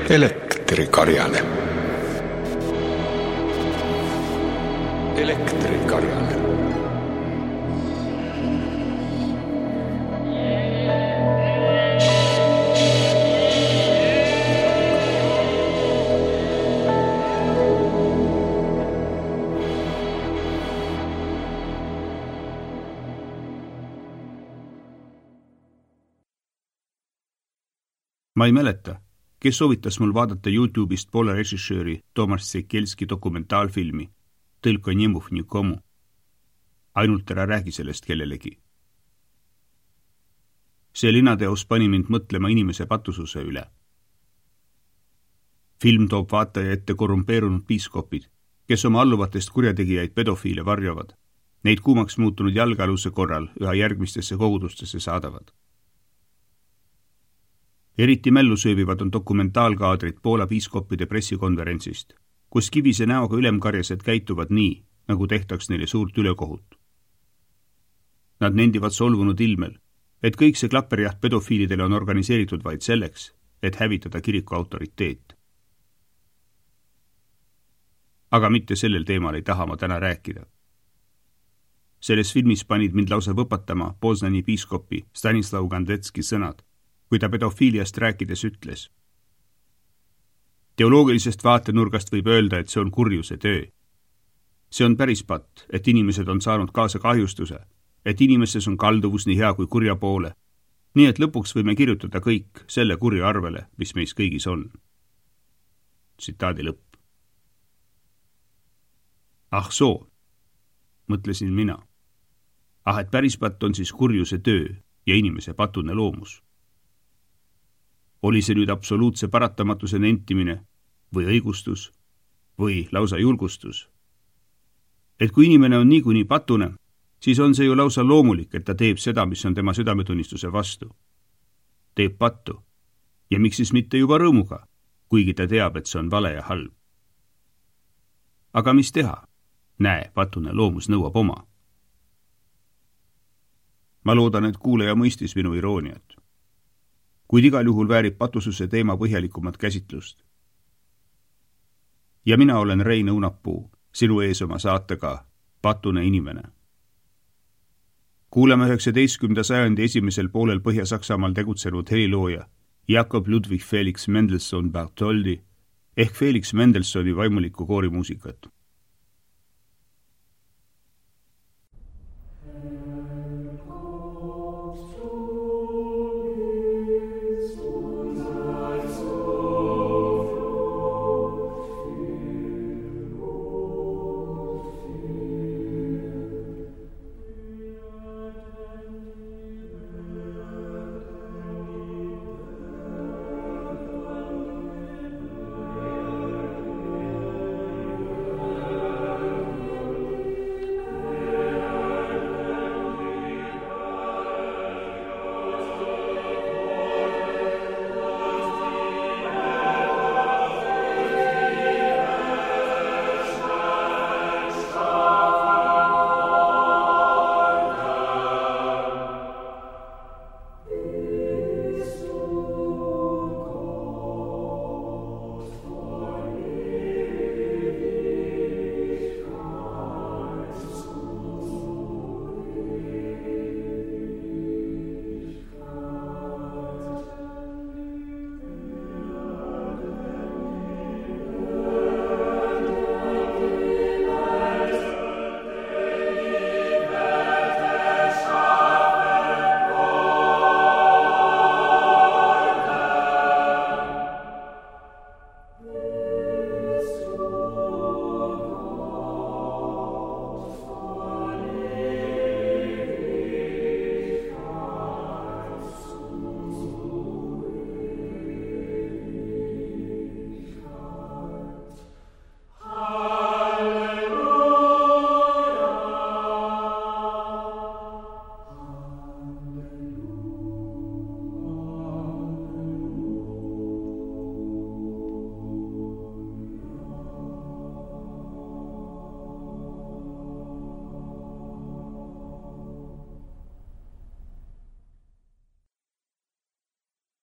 Elektrikarjane. Elektrikarjane. Ma ei mäleta, kes soovitas mul vaadata YouTube'ist Poola režissööri Tomasz Sekielski dokumentaalfilmi Tylko nie mów nikomu. Ainult ära räägi sellest kellelegi. See linateos pani mind mõtlema inimese patususe üle. Film toob vaataja ette korrumpeerunud piiskopid, kes oma alluvatest kurjategijaid pedofiile varjavad. Neid kuumaks muutunud jalgealuse korral üha järgmistesse kogudustesse saadavad. Eriti mällu sööbivad on dokumentaalkaadrid Poola piiskoppide pressikonverentsist, kus kivise näoga ülemkarjased käituvad nii, nagu tehtaks neile suurt ülekohut. Nad nendivad solvunud ilmel, et kõik see klapperjaht pedofiilidele on organiseeritud vaid selleks, et hävitada kiriku autoriteet. Aga mitte sellel teemal ei taha ma täna rääkida. Selles filmis panid mind lausa võpatama Poznani piiskopi Stanislav Gandetski sõnad, kui ta pedofiiliast rääkides ütles. Teoloogilisest vaatenurgast võib öelda, et see on kurjuse töö. See on päris patt, et inimesed on saanud kaasa kahjustuse, et inimestes on kalduvus nii hea kui kurja poole, nii et lõpuks võime kirjutada kõik selle kurja arvele, mis meis kõigis on. Tsitaadi lõpp. Ah soo, mõtlesin mina. Ah, et päris patt on siis kurjuse töö ja inimese patune loomus. Oli see nüüd absoluutse paratamatuse nentimine või õigustus või lausa julgustus? Et kui inimene on niikuinii patune, siis on see ju lausa loomulik, et ta teeb seda, mis on tema südametunnistuse vastu. Teeb pattu. Ja miks siis mitte juba rõõmuga, kuigi ta teab, et see on vale ja halb. Aga mis teha? Näe, patune loomus nõuab oma. Ma loodan, et kuulaja mõistis minu irooniat. Kuid igal juhul väärib patususe teema põhjalikumat käsitlust. Ja mina olen Rein Õunapuu, sinu ees oma saatega Patune inimene. Kuulame 19. sajandi esimesel poolel Põhja-Saksamaal tegutsenud helilooja Jakob Ludwig Felix Mendelssohn Bartholdi ehk Felix Mendelssohni vaimulikku koorimuusikat.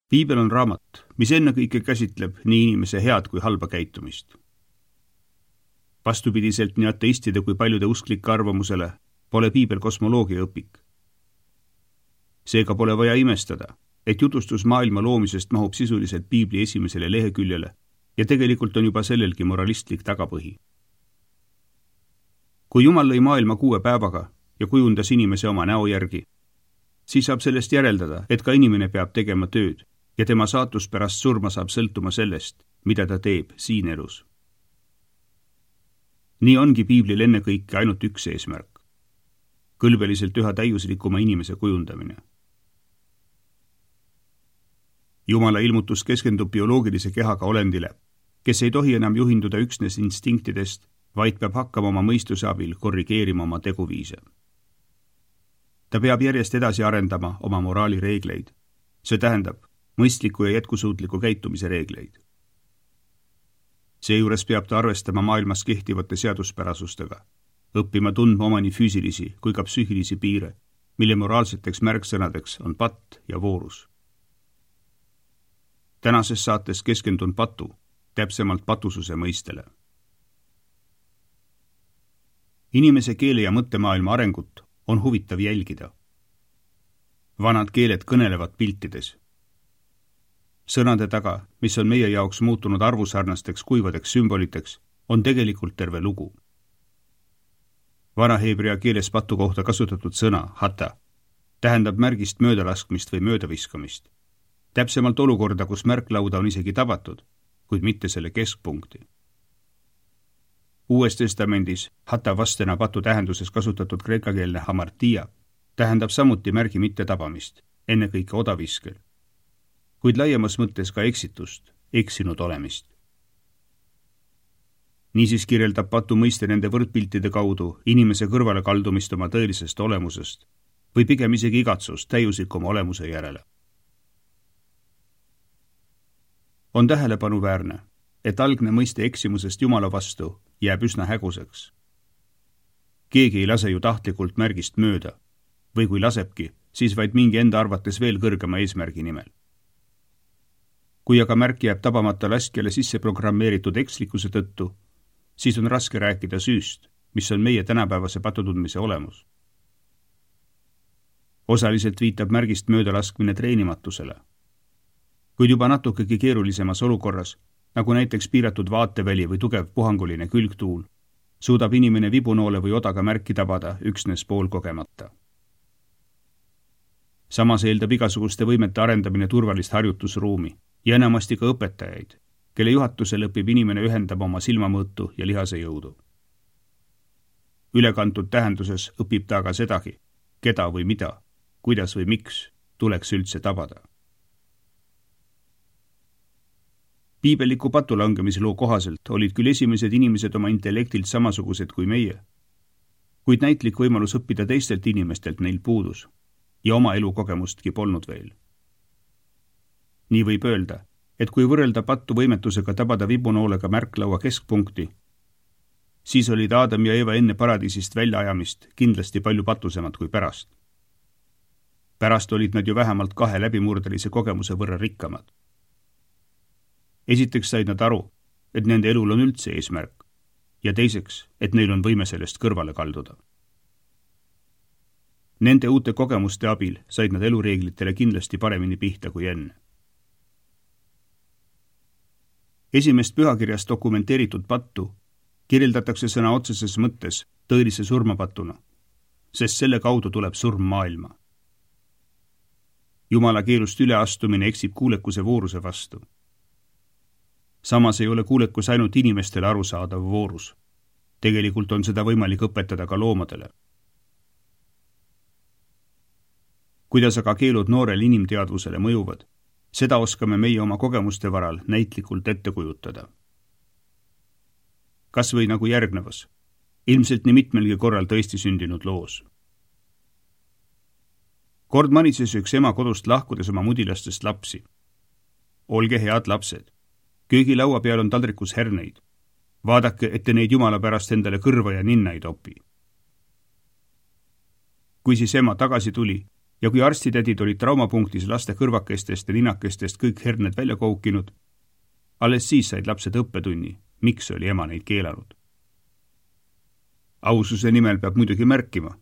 Piibel on raamat, mis ennekõike käsitleb nii inimese head kui halba käitumist. Vastupidiselt nii ateistide kui paljude usklike arvamusele pole Piibel kosmoloogia õpik. Seega pole vaja imestada, et jutustus maailma loomisest mahub sisuliselt Piibli esimesele leheküljele ja tegelikult on juba sellelgi moralistlik tagapõhi. Kui Jumal lõi maailma 6 päevaga ja kujundas inimese oma näo järgi, siis saab sellest järeldada, et ka inimene peab tegema tööd ja tema saatus pärast surma saab sõltuma sellest, mida ta teeb siin elus. Nii ongi Piiblil ennekõike ainult üks eesmärk. Kõlbeliselt üha täiuslikuma inimese kujundamine. Jumala ilmutus keskendub bioloogilise kehaga olendile, kes ei tohi enam juhinduda üksnes instinktidest, vaid peab hakkama oma mõistuse abil korrigeerima oma teguviise. Ta peab järjest edasi arendama oma moraalireegleid. See tähendab mõistliku ja jätkusuutliku käitumise reegleid. Seejuures peab ta arvestama maailmas kehtivate seaduspärasustega, õppima tundma oma nii füüsilisi kui ka psüühilisi piire, mille moraalseteks märksõnadeks on patt ja voorus. Tänases saates keskendun patu, täpsemalt patususe mõistele. Inimese keele ja mõttemaailma arengut on huvitav jälgida. Vanad keeled kõnelevad piltides. Sõnade taga, mis on meie jaoks muutunud arvusarnasteks kuivadeks sümboliteks, on tegelikult terve lugu. Vana heebrea keeles patu kohta kasutatud sõna hata tähendab märgist möödalaskmist või möödaviskamist. Täpsemalt olukorda, kus märklauda on isegi tabatud, kuid mitte selle keskpunkti. Uues testamendis hata vastena patu tähenduses kasutatud kreekakeelne hamartia tähendab samuti märgi mitte tabamist, ennekõike odaviskel, kuid laiemas mõttes ka eksitust, eksinud olemist. Niisiis kirjeldab patu mõiste nende võrdpiltide kaudu inimese kõrvale kaldumist oma tõelisest olemusest või pigem isegi igatsust täiuslikuma olemuse järele. On tähelepanuväärne, et algne mõiste eksimusest Jumala vastu jääb üsna häguseks. Keegi ei lase ju tahtlikult märgist mööda või kui lasebki, siis vaid mingi enda arvates veel kõrgema eesmärgi nimel. Kui aga märk jääb tabamata laskjale sisse programmeeritud ekslikkuse tõttu, siis on raske rääkida süüst, mis on meie tänapäevase patutundmise olemus. Osaliselt viitab märgist möödalaskmine treenimatusele. Kuid juba natukegi keerulisemas olukorras, nagu näiteks piiratud vaateväli või tugev puhanguline külgtuul, suudab inimene vibunoole või odaga märki tabada üksnes poolkogemata. Samas eeldab igasuguste võimete arendamine turvalist harjutusruumi ja enamasti ka õpetajaid, kelle juhatusel õpib inimene ühendama oma silmamõõtu ja lihase jõudu. Ülekantud tähenduses õpib ta aga sedagi, keda või mida, kuidas või miks tuleks üldse tabada. Piibeliku patulangemisloo kohaselt olid küll esimesed inimesed oma intellektilt samasugused kui meie, kuid näitlik võimalus õppida teistelt inimestelt neil puudus ja oma elukogemustki polnud veel. Nii võib öelda, et kui võrrelda pattu võimetusega tabada vibunoolega märklaua keskpunkti, siis olid Aadam ja Eeva enne paradiisist väljaajamist kindlasti palju patusemad kui pärast. Pärast olid nad ju vähemalt 2 läbimurdelise kogemuse võrra rikkamad. Esiteks said nad aru, et nende elul on üldse eesmärk ja teiseks, et neil on võime sellest kõrvale kalduda. Nende uute kogemuste abil said nad elureeglitele kindlasti paremini pihta kui enne. Esimest pühakirjas dokumenteeritud pattu kirjeldatakse sõna otseses mõttes tõelise surmapatuna, sest selle kaudu tuleb surm maailma. Jumala keelust üleastumine eksib kuulekuse vooruse vastu. Samas ei ole kuulekus ainult inimestele arusaadav voorus. Tegelikult on seda võimalik õpetada ka loomadele. Kuidas aga keelud noorel inimteadvusele mõjuvad, seda oskame meie oma kogemuste varal näitlikult ette kujutada. Kas või nagu järgnevas, ilmselt nii mitmelgi korral tõesti sündinud loos. Kord manises üks ema kodust lahkudes oma mudilastest lapsi. Olge head lapsed. Köögilaua peal on taldrikus herneid. Vaadake, et te neid Jumala pärast endale kõrva ja ninna ei topi. Kui siis ema tagasi tuli, ja kui arstitädid olid traumapunktis laste kõrvakestest ja ninakestest kõik herned välja koukinud, alles siis said lapsed õppetunni, miks oli ema neid keelanud. Aususe nimel peab muidugi märkima,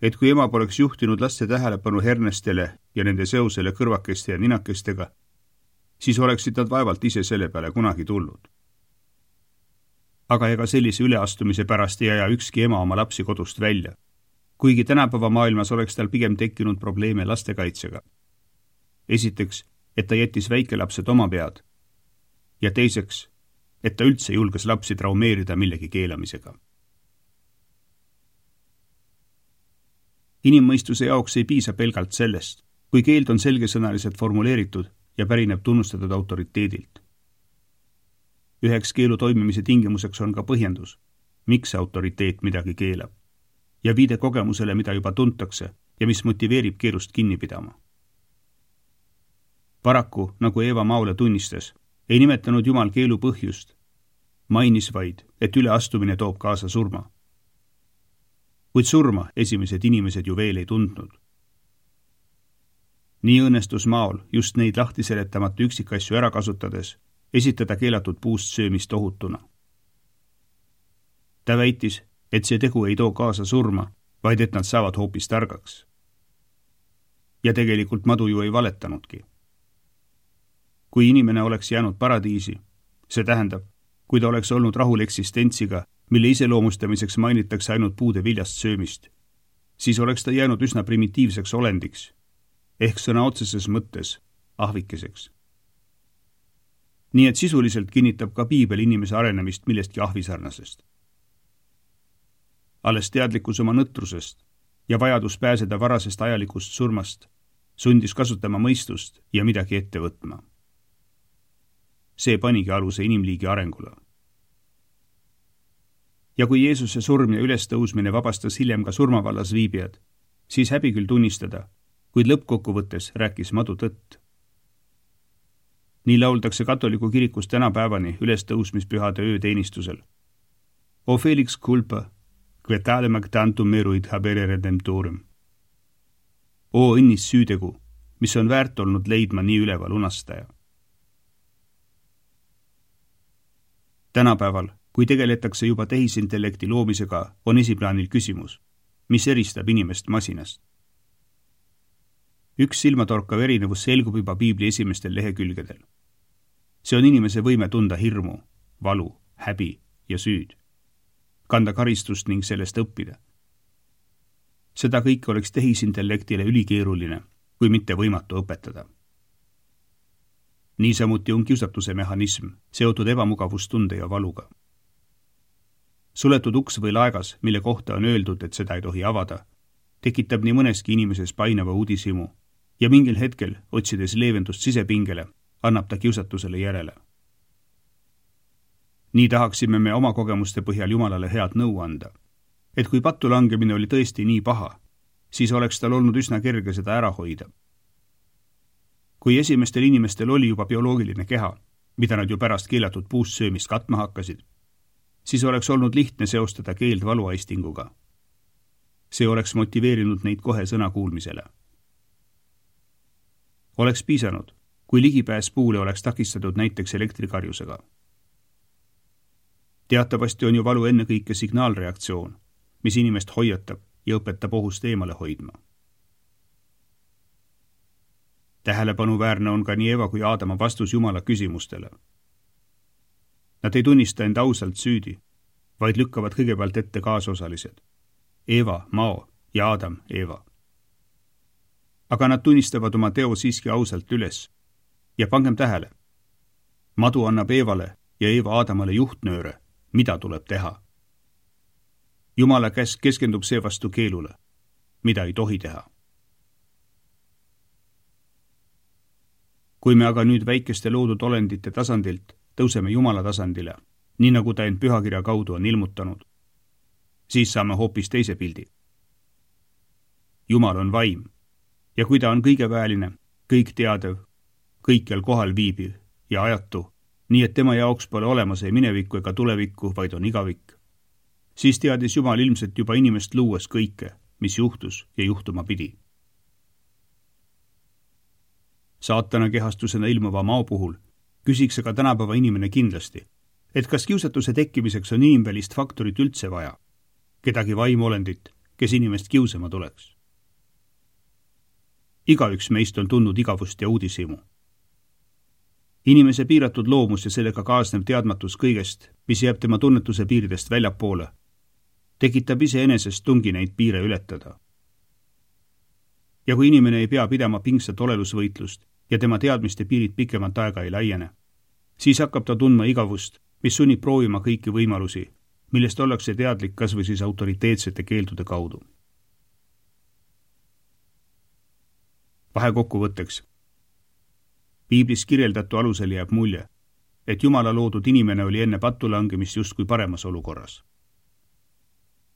et kui ema poleks juhtinud laste tähelepanu hernestele ja nende seosele kõrvakeste ja ninakestega, siis oleksid nad vaevalt ise selle peale kunagi tulnud. Aga ega sellise üleastumise pärast ei aja ükski ema oma lapsi kodust välja, kuigi tänapäeva maailmas oleks tal pigem tekkinud probleeme lastekaitsega. Esiteks, et ta jättis väikelapsed oma pead, ja teiseks, et ta üldse julges lapsi traumeerida millegi keelamisega. Inimmõistuse jaoks ei piisa pelgalt sellest, kui keeld on selgesõnaliselt formuleeritud ja pärineb tunnustatud autoriteedilt. Üheks keelu toimimise tingimuseks on ka põhjendus, miks autoriteet midagi keelab, ja viide kogemusele, mida juba tuntakse ja mis motiveerib keelust kinni pidama. Paraku, nagu Eeva Maole tunnistas, ei nimetanud Jumal keelu põhjust, mainis vaid, et üleastumine toob kaasa surma. Kuid surma esimesed inimesed ju veel ei tundnud. Nii õnnestus Maol just neid lahti seletamata üksikasju ära kasutades esitada keelatud puust söömist ohutuna. Ta väitis, et see tegu ei too kaasa surma, vaid et nad saavad hoopis targaks. Ja tegelikult madu ju ei valetanudki. Kui inimene oleks jäänud paradiisi, see tähendab, kui ta oleks olnud rahul eksistentsiga, mille iseloomustamiseks mainitakse ainult puude viljast söömist, siis oleks ta jäänud üsna primitiivseks olendiks, ehk sõna otseses mõttes ahvikeseks. Nii et sisuliselt kinnitab ka Piibel inimese arenemist millestki ahvisarnasest. Alles teadlikkus oma nõtrusest ja vajadus pääseda varasest ajalikust surmast sundis kasutama mõistust ja midagi ette võtma. See panigi aluse inimliigi arengule. Ja kui Jeesuse surm ja ülestõusmine vabastas hiljem ka surmavallas viibijad, siis häbi küll tunnistada, kuid lõppkokkuvõttes rääkis madu tõtt. Nii lauldakse katoliku kirikus tänapäevani ülestõusmispühade ööteenistusel. O felix culpa, que tale magtantum meruit habere redemptorum. O õnnis süütegu, mis on väärt olnud leidma nii üleva lunastaja. Tänapäeval, kui tegeletakse juba tehisintellekti loomisega, on esiplaanil küsimus, mis eristab inimest masinast. Üks silmatorkav erinevus selgub juba Piibli esimestel lehekülgedel. See on inimese võime tunda hirmu, valu, häbi ja süüd, kanda karistust ning sellest õppida. Seda kõike oleks tehisintellektile ülikeeruline, kui mitte võimatu õpetada. Niisamuti on kiusatuse mehhanism seotud ebamugavustunde ja valuga. Suletud uks või laegas, mille kohta on öeldud, et seda ei tohi avada, tekitab nii mõneski inimeses painava uudishimu ja mingil hetkel, otsides leevendust sisepingele, annab ta kiusatusele järele. Nii tahaksime me oma kogemuste põhjal Jumalale head nõu anda, et kui pattu langemine oli tõesti nii paha, siis oleks tal olnud üsna kerge seda ära hoida. Kui esimestel inimestel oli juba bioloogiline keha, mida nad ju pärast keelatud puust söömist katma hakkasid, siis oleks olnud lihtne seostada keeld valuaistinguga. See oleks motiveerinud neid kohe sõna kuulmisele. Oleks piisanud, kui ligipääs puule oleks takistatud näiteks elektrikarjusega. Teatavasti on ju valu ennekõike signaalreaktsioon, mis inimest hoiatab ja õpetab ohust eemale hoidma. Tähelepanuväärne on ka nii Eva kui Aadama vastus Jumala küsimustele. Nad ei tunnista end ausalt süüdi, vaid lükkavad kõigepealt ette kaasosalised. Eva, Mao ja Aadam, Eva. Aga nad tunnistavad oma teo siiski ausalt üles. Ja pangem tähele. Madu annab Eevale ja Eeva Aadamale juhtnööre, mida tuleb teha. Jumala käsk keskendub seevastu keelule, mida ei tohi teha. Kui me aga nüüd väikeste loodud olendite tasandilt tõuseme Jumala tasandile, nii nagu ta end pühakirja kaudu on ilmutanud, siis saame hoopis teise pildi. Jumal on vaim ja kui ta on kõigeväeline, kõik teadev, kõikjal kohal viibiv ja ajatu, nii et tema jaoks pole olemas ei minevikku ega tulevikku, vaid on igavik, siis teadis Jumal ilmselt juba inimest luues kõike, mis juhtus ja juhtuma pidi. saatana kehastusena ilmuva mao puhul küsiks aga tänapäeva inimene kindlasti, et kas kiusatuse tekkimiseks on inimvälist faktorit üldse vaja, kedagi vaimolendit, kes inimest kiusama tuleks. Igaüks meist on tundnud igavust ja uudishimu. Inimese piiratud loomus ja sellega kaasnev teadmatus kõigest, mis jääb tema tunnetuse piiridest väljapoole, tekitab iseenesest tungi neid piire ületada. Ja kui inimene ei pea pidama pingsat olelusvõitlust ja tema teadmiste piirid pikemat aega ei laiene, siis hakkab ta tundma igavust, mis sunnib proovima kõiki võimalusi, millest ollakse teadlik kas või siis autoriteetsete keeldude kaudu. Vahekokkuvõtteks. Piiblis kirjeldatu alusel jääb mulje, et Jumala loodud inimene oli enne pattulangemist justkui paremas olukorras.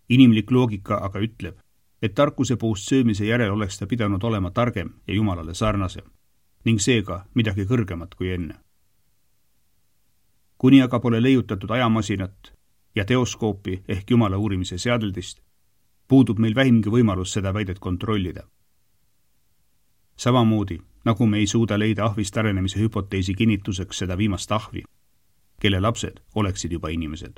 Inimlik loogika aga ütleb, et tarkuse puust söömise järel oleks ta pidanud olema targem ja Jumalale sarnasem, ning seega midagi kõrgemat kui enne. Kuni aga pole leiutatud ajamasinat ja teoskoopi ehk Jumala uurimise seadeldist, puudub meil vähimgi võimalus seda väidet kontrollida. Samamoodi, nagu me ei suuda leida ahvist arenemise hüpoteesi kinnituseks seda viimast ahvi, kelle lapsed oleksid juba inimesed.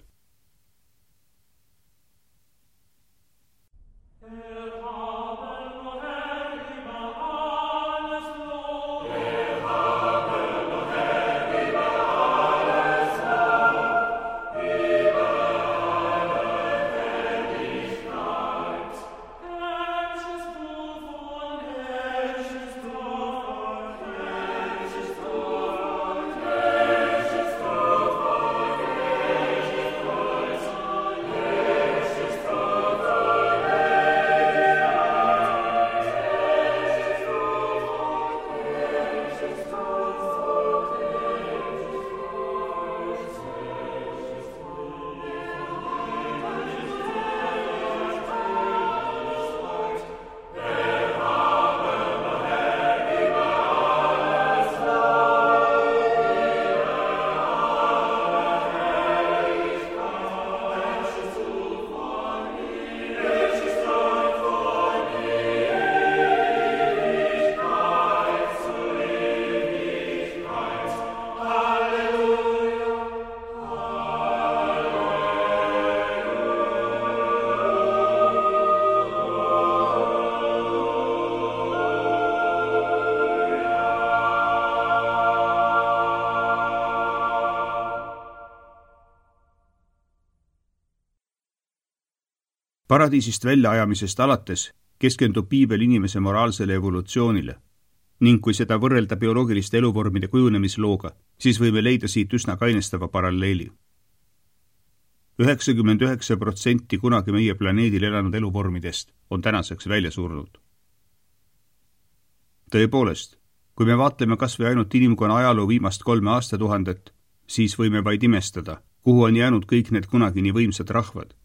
Paradiisist väljaajamisest alates keskendub piibel inimese moraalsele evolutsioonile ning kui seda võrrelda bioloogiliste eluvormide kujunemislooga, siis võime leida siit üsna kainestava paralleeli. 99% kunagi meie planeedil elanud eluvormidest on tänaseks välja surnud. Tõepoolest, kui me vaatleme kas või ainult inimkonna ajaloo viimast 3 aastatuhandet, siis võime vaid imestada, kuhu on jäänud kõik need kunagi nii võimsad rahvad.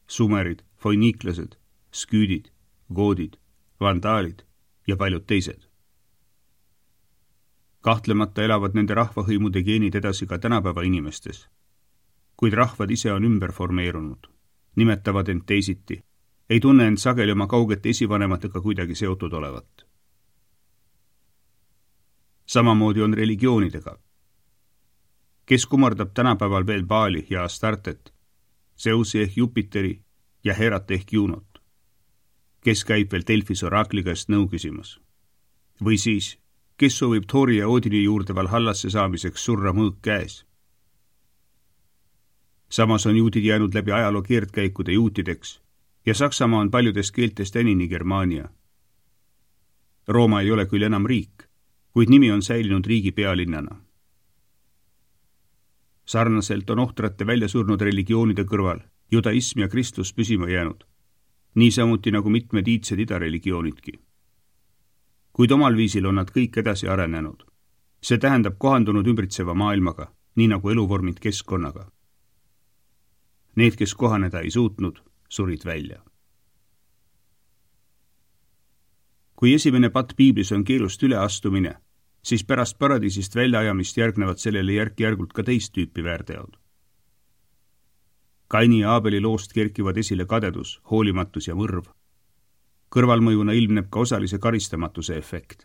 Sumerid, foiniiklased, sküüdid, goodid, vandaalid ja paljud teised. Kahtlemata elavad nende rahvahõimude geenid edasi ka tänapäeva inimestes, kuid rahvad ise on ümber formeerunud, nimetavad end teisiti, ei tunne end sageli oma kaugete esivanematega kuidagi seotud olevat. Samamoodi on religioonidega. Kes kummardab tänapäeval veel Baali ja Astartet, Zeusi ehk Jupiteri ja Herat ehk Juunot, kes käib veel Delfis oraakli käest nõu küsimas. Või siis, kes soovib Thori ja Odini juurde Valhallasse saamiseks surra mõõk käes. Samas on juudid jäänud läbi ajaloo keerdkäikude juutideks ja Saksamaa on paljudest keeltest enini Germaania. Rooma ei ole küll enam riik, kuid nimi on säilinud riigi pealinnana. Sarnaselt on ohtrate välja surnud religioonide kõrval judaism ja kristlus püsima jäänud, niisamuti nagu mitmed iidsed idareligioonidki. Kuid omal viisil on nad kõik edasi arenenud. See tähendab kohandunud ümbritseva maailmaga, nii nagu eluvormid keskkonnaga. Need, kes kohaneda ei suutnud, surid välja. Kui esimene patt piiblis on keelust üleastumine, siis pärast paradiisist väljaajamist järgnevad sellele järk-järgult ka teist tüüpi väärteod. Kaini ja Aabeli loost kerkivad esile kadedus, hoolimatus ja mõrv. Kõrvalmõjuna ilmneb ka osalise karistamatuse efekt.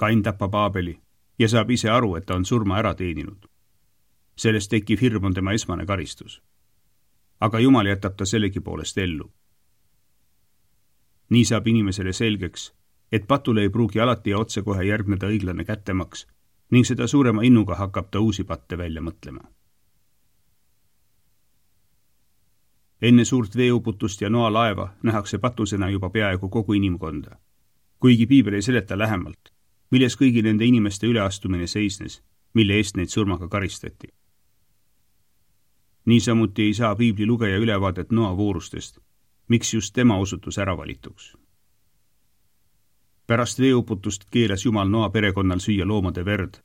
Kain tapab Aabeli ja saab ise aru, et ta on surma ära teeninud. Sellest tekkiv hirm on tema esmane karistus. Aga Jumal jätab ta sellegipoolest ellu. Nii saab inimesele selgeks, et patule ei pruugi alati ja otsekohe järgneda õiglane kättemaks ning seda suurema innuga hakkab ta uusi patte välja mõtlema. Enne suurt veeuputust ja Noa laeva nähakse patusena juba peaaegu kogu inimkonda, kuigi piibel ei seleta lähemalt, milles kõigi nende inimeste üleastumine seisnes, mille eest neid surmaga karistati. Niisamuti ei saa piibli lugeja ülevaadet Noa voorustest, miks just tema osutus äravalituks. Pärast veeuputust keelas Jumal Noa perekonnal süüa loomade verd,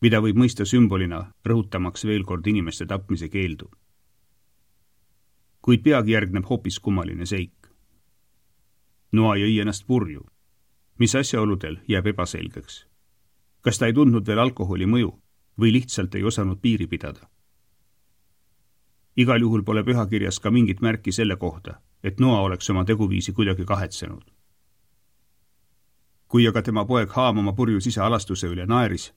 mida võib mõista sümbolina, rõhutamaks veel kord inimeste tapmise keeldu. Kuid peagi järgneb hoopis kummaline seik. Noa jõi ennast purju, mis asjaoludel jääb ebaselgeks. Kas ta ei tundnud veel alkoholi mõju või lihtsalt ei osanud piiri pidada? Igal juhul pole pühakirjas ka mingit märki selle kohta, et Noa oleks oma teguviisi kuidagi kahetsenud. Kui aga tema poeg Haam oma purjus isa alastuse üle naeris,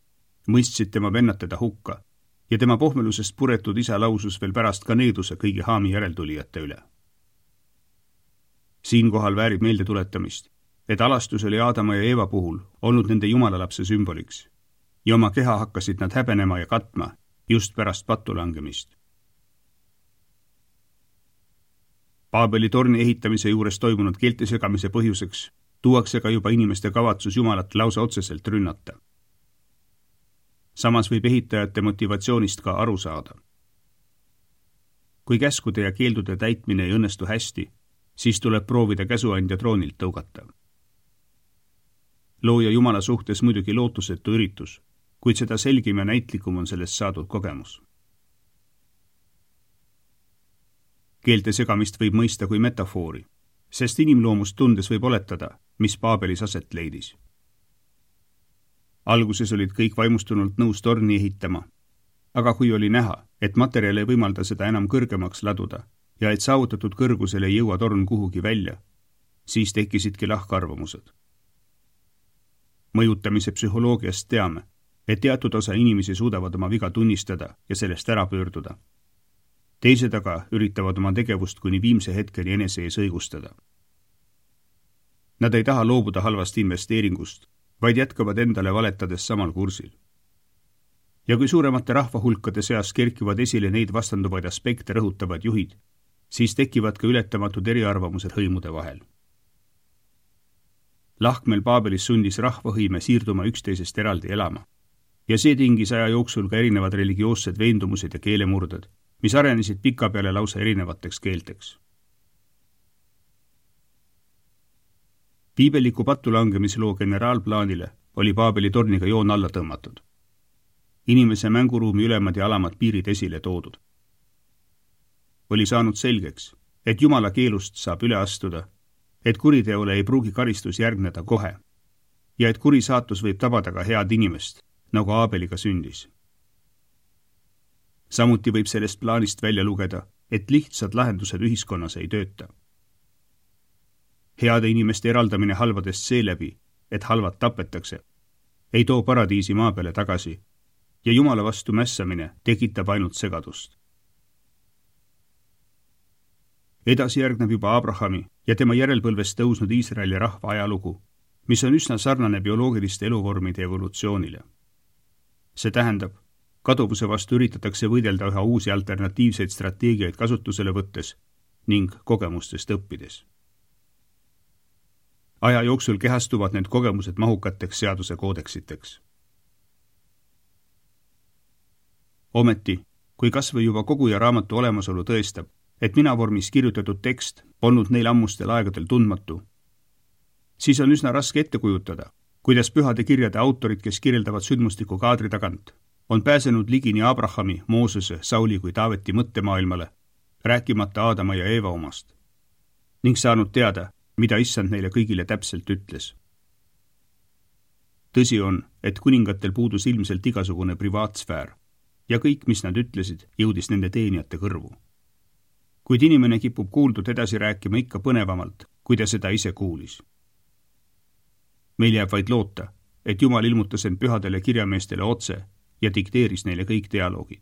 mõistsid tema vennad teda hukka ja tema pohmelusest puretud isa lausus veel pärast ka needuse kõigi Haami järeltulijate üle. Siinkohal väärib meelde tuletamist, et alastus oli Aadama ja Eeva puhul olnud nende jumalalapse sümboliks ja oma keha hakkasid nad häbenema ja katma just pärast pattu langemist. Paabeli torni ehitamise juures toimunud keelte segamise põhjuseks tuuakse ka juba inimeste kavatsus Jumalat lausa otseselt rünnata. Samas võib ehitajate motivatsioonist ka aru saada. Kui käskude ja keeldude täitmine ei õnnestu hästi, siis tuleb proovida käsuandja troonilt tõugata. Looja Jumala suhtes muidugi lootusetu üritus, kuid seda selgim ja näitlikum on sellest saadud kogemus. Keelte segamist võib mõista kui metafoori, sest inimloomust tundes võib oletada, mis Paabelis aset leidis. Alguses olid kõik vaimustunult nõus torni ehitama, aga kui oli näha, et materjal ei võimalda seda enam kõrgemaks laduda ja et saavutatud kõrgusel ei jõua torn kuhugi välja, siis tekkisidki lahkarvamused. Mõjutamise psühholoogiast teame, et teatud osa inimesi suudavad oma viga tunnistada ja sellest ära pöörduda. Teised aga üritavad oma tegevust kuni viimse hetkeni enese ees õigustada. Nad ei taha loobuda halvast investeeringust, vaid jätkavad endale valetades samal kursil. Ja kui suuremate rahvahulkade seas kerkivad esile neid vastanduvaid aspekte rõhutavad juhid, siis tekivad ka ületamatud eriarvamused hõimude vahel. Lahkmel Paabelis sundis rahvahõime siirduma üksteisest eraldi elama ja see tingis aja jooksul ka erinevad religioossed veendumused ja keelemurded, mis arenesid pikapeale lausa erinevateks keelteks. Piibeliku patulangemisloo generaalplaanile oli Paabeli torniga joon alla tõmmatud. Inimese mänguruumi ülemad ja alamad piirid esile toodud. Oli saanud selgeks, et Jumala keelust saab üle astuda, et kuriteole ei pruugi karistus järgneda kohe ja et kuri saatus võib tabada ka head inimest, nagu Aabeliga sündis. Samuti võib sellest plaanist välja lugeda, et lihtsad lahendused ühiskonnas ei tööta. Heade inimeste eraldamine halvadest seeläbi, et halvad tapetakse, ei too paradiisi maa peale tagasi ja Jumala vastu mässamine tekitab ainult segadust. Edasi järgneb juba Abrahami ja tema järelpõlvest tõusnud Iisraeli rahva ajalugu, mis on üsna sarnane bioloogiliste eluvormide evolutsioonile. See tähendab, kaduvuse vastu üritatakse võidelda üha uusi alternatiivseid strateegiaid kasutusele võttes ning kogemustest õppides. Aja jooksul kehastuvad need kogemused mahukateks seaduse koodeksiteks. Ometi, kui kas või juba koguja raamatu olemasolu tõestab, et minavormis kirjutatud tekst polnud neil ammustel aegadel tundmatu, siis on üsna raske ette kujutada, kuidas pühade kirjade autorid, kes kirjeldavad sündmustiku kaadri tagant, on pääsenud ligi nii Abrahami, Moosese, Sauli kui Taaveti mõttemaailmale, rääkimata Aadama ja Eeva omast, ning saanud teada, mida issand neile kõigile täpselt ütles. Tõsi on, et kuningatel puudus ilmselt igasugune privaatsfäär ja kõik, mis nad ütlesid, jõudis nende teenijate kõrvu. Kuid inimene kipub kuuldud edasi rääkima ikka põnevamalt, kui ta seda ise kuulis. Meil jääb vaid loota, et Jumal ilmutas end pühadele kirjameestele otse ja dikteeris neile kõik dialoogid.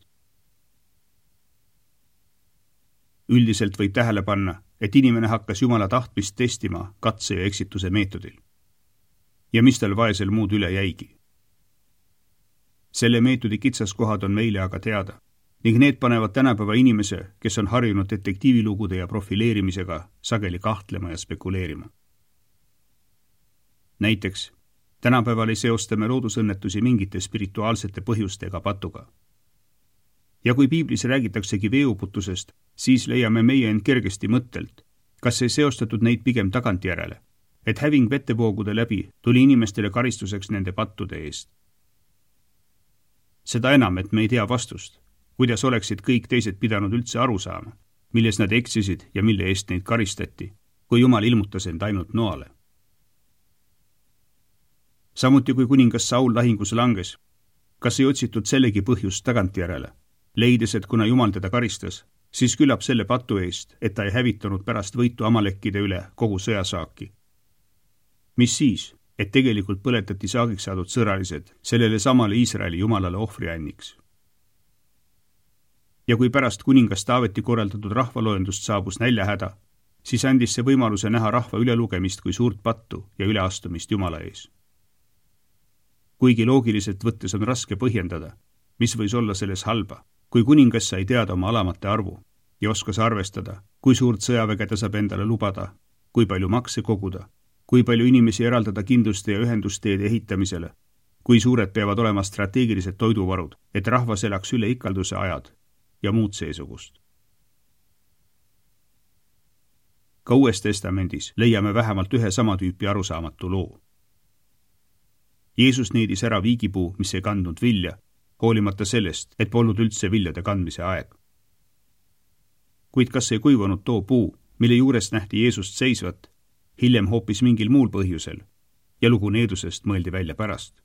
Üldiselt võib tähele panna, et inimene hakkas Jumala tahtmist testima katse ja eksituse meetodil. Ja mis tal vaesel muud üle jäigi? Selle meetodi kitsaskohad on meile aga teada ning need panevad tänapäeva inimese, kes on harjunud detektiivilugude ja profileerimisega, sageli kahtlema ja spekuleerima. Näiteks, tänapäeval ei seostame loodusõnnetusi mingite spirituaalsete põhjustega patuga. Ja kui piiblis räägitaksegi veeuputusest, siis leiame meie end kergesti mõttelt, kas ei seostatud neid pigem tagantjärele, et häving vettevoogude läbi tuli inimestele karistuseks nende pattude eest. Seda enam, et me ei tea vastust, kuidas oleksid kõik teised pidanud üldse aru saama, milles nad eksisid ja mille eest neid karistati, kui Jumal ilmutas end ainult noale. Samuti kui kuningas Saul lahingus langes, kas ei otsitud sellegi põhjust tagantjärele, leides, et kuna Jumal teda karistas, siis küllap selle patu eest, et ta ei hävitanud pärast võitu amalekkide üle kogu sõjasaaki. Mis siis, et tegelikult põletati saagiks saadud sõralised sellele samale Iisraeli Jumalale ohvrianniks. Ja kui pärast kuningas Taaveti korraldatud rahvaloendust saabus näljahäda, siis andis see võimaluse näha rahva ülelugemist kui suurt pattu ja üleastumist Jumala ees. Kuigi loogiliselt võttes on raske põhjendada, mis võis olla selles halba, kui kuningas sai teada oma alamate arvu ja oskas arvestada, kui suurt sõjaväge ta saab endale lubada, kui palju makse koguda, kui palju inimesi eraldada kindluste ja ühendusteede ehitamisele, kui suured peavad olema strateegilised toiduvarud, et rahvas elaks üle ikalduse ajad ja muud seesugust. Ka Uues Testamendis leiame vähemalt ühe sama tüüpi arusaamatu loo. Jeesus needis ära viigipuu, mis ei kandnud vilja, hoolimata sellest, et polnud üldse viljade kandmise aeg. Kuid kas ei kuivanud too puu, mille juures nähti Jeesust seisvat, hiljem hoopis mingil muul põhjusel ja lugu needusest mõeldi välja pärast?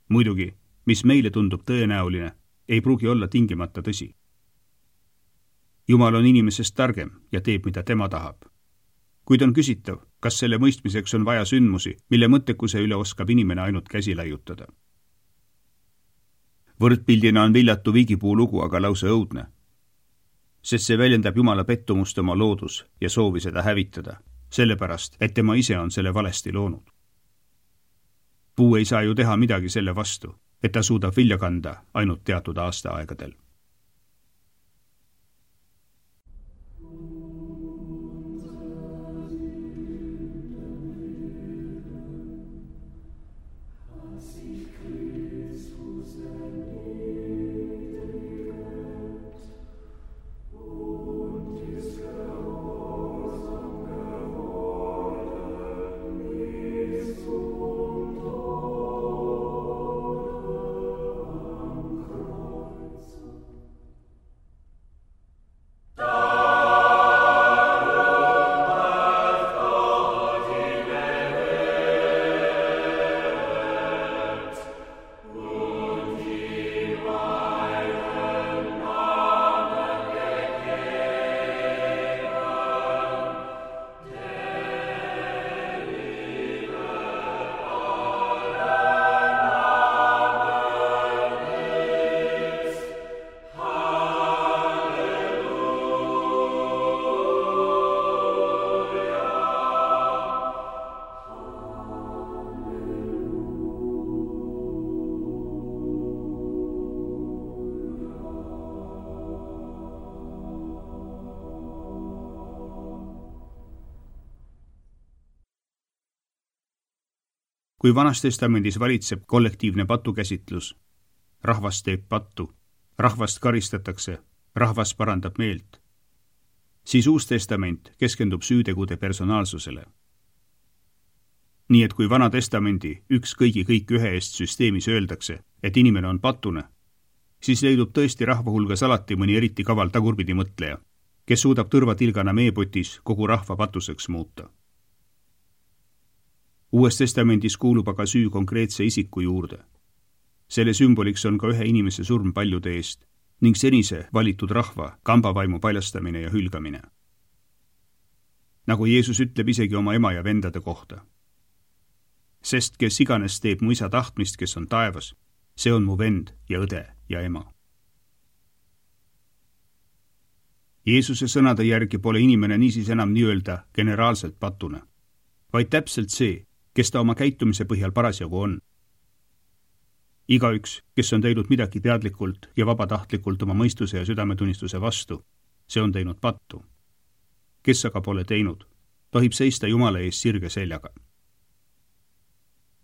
Muidugi, mis meile tundub tõenäoline, ei pruugi olla tingimata tõsi. Jumal on inimesest targem ja teeb, mida tema tahab. Kuid on küsitav, kas selle mõistmiseks on vaja sündmusi, mille mõttekuse üle oskab inimene ainult käsi laiutada. Võrdpildina on viljatu viigipuu lugu aga lausa õudne, sest see väljendab Jumala pettumust oma loodus ja soovi seda hävitada, sellepärast, et tema ise on selle valesti loonud. Puu ei saa ju teha midagi selle vastu, et ta suudab vilja kanda ainult teatud aastaaegadel. Kui Vanas Testamendis valitseb kollektiivne patukäsitlus, rahvas teeb pattu, rahvast karistatakse, rahvas parandab meelt, siis Uus Testament keskendub süütegude personaalsusele. Nii et kui Vana Testamendi üks kõigi kõik ühe eest süsteemis öeldakse, et inimene on patune, siis leidub tõesti rahva hulgas alati mõni eriti kaval tagurpidi mõtleja, kes suudab tõrvatilgana meepotis kogu rahva patuseks muuta. Uues Testamendis kuulub aga süü konkreetse isiku juurde. Selle sümboliks on ka ühe inimese surm paljude eest ning senise valitud rahva kambavaimu paljastamine ja hülgamine. Nagu Jeesus ütleb isegi oma ema ja vendade kohta. sest kes iganes teeb mu isa tahtmist, kes on taevas, see on mu vend ja õde ja ema. Jeesuse sõnade järgi pole inimene niisiis enam nii-öelda generaalselt patune, vaid täpselt see, kes ta oma käitumise põhjal parasjagu on. Igaüks, kes on teinud midagi teadlikult ja vabatahtlikult oma mõistuse ja südametunnistuse vastu, see on teinud pattu. Kes aga pole teinud, tohib seista Jumala ees sirge seljaga.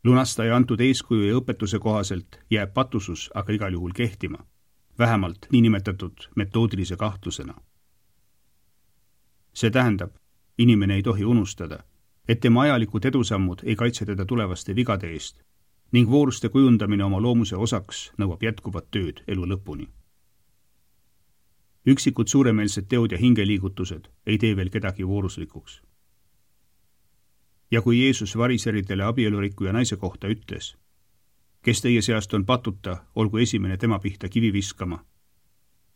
Lunastaja antud eeskuju ja õpetuse kohaselt jääb patusus aga igal juhul kehtima, vähemalt niinimetatud metoodilise kahtlusena. See tähendab, inimene ei tohi unustada, et tema ajalikud edusammud ei kaitse teda tulevaste vigade eest ning vooruste kujundamine oma loomuse osaks nõuab jätkuvat tööd elu lõpuni. Üksikud suuremeelsed teod ja hingeliigutused ei tee veel kedagi vooruslikuks. Ja kui Jeesus variseridele abielurikkuja naise kohta ütles, kes teie seast on patuta, olgu esimene tema pihta kivi viskama,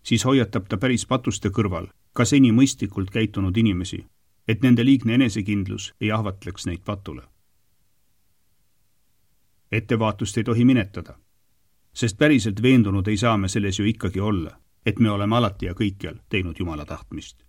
siis hoiatab ta päris patuste kõrval ka seni mõistlikult käitunud inimesi, et nende liigne enesekindlus ei ahvatleks neid patule. Ettevaatust ei tohi minetada, sest päriselt veendunud ei saa me selles ju ikkagi olla, et me oleme alati ja kõikjal teinud Jumala tahtmist.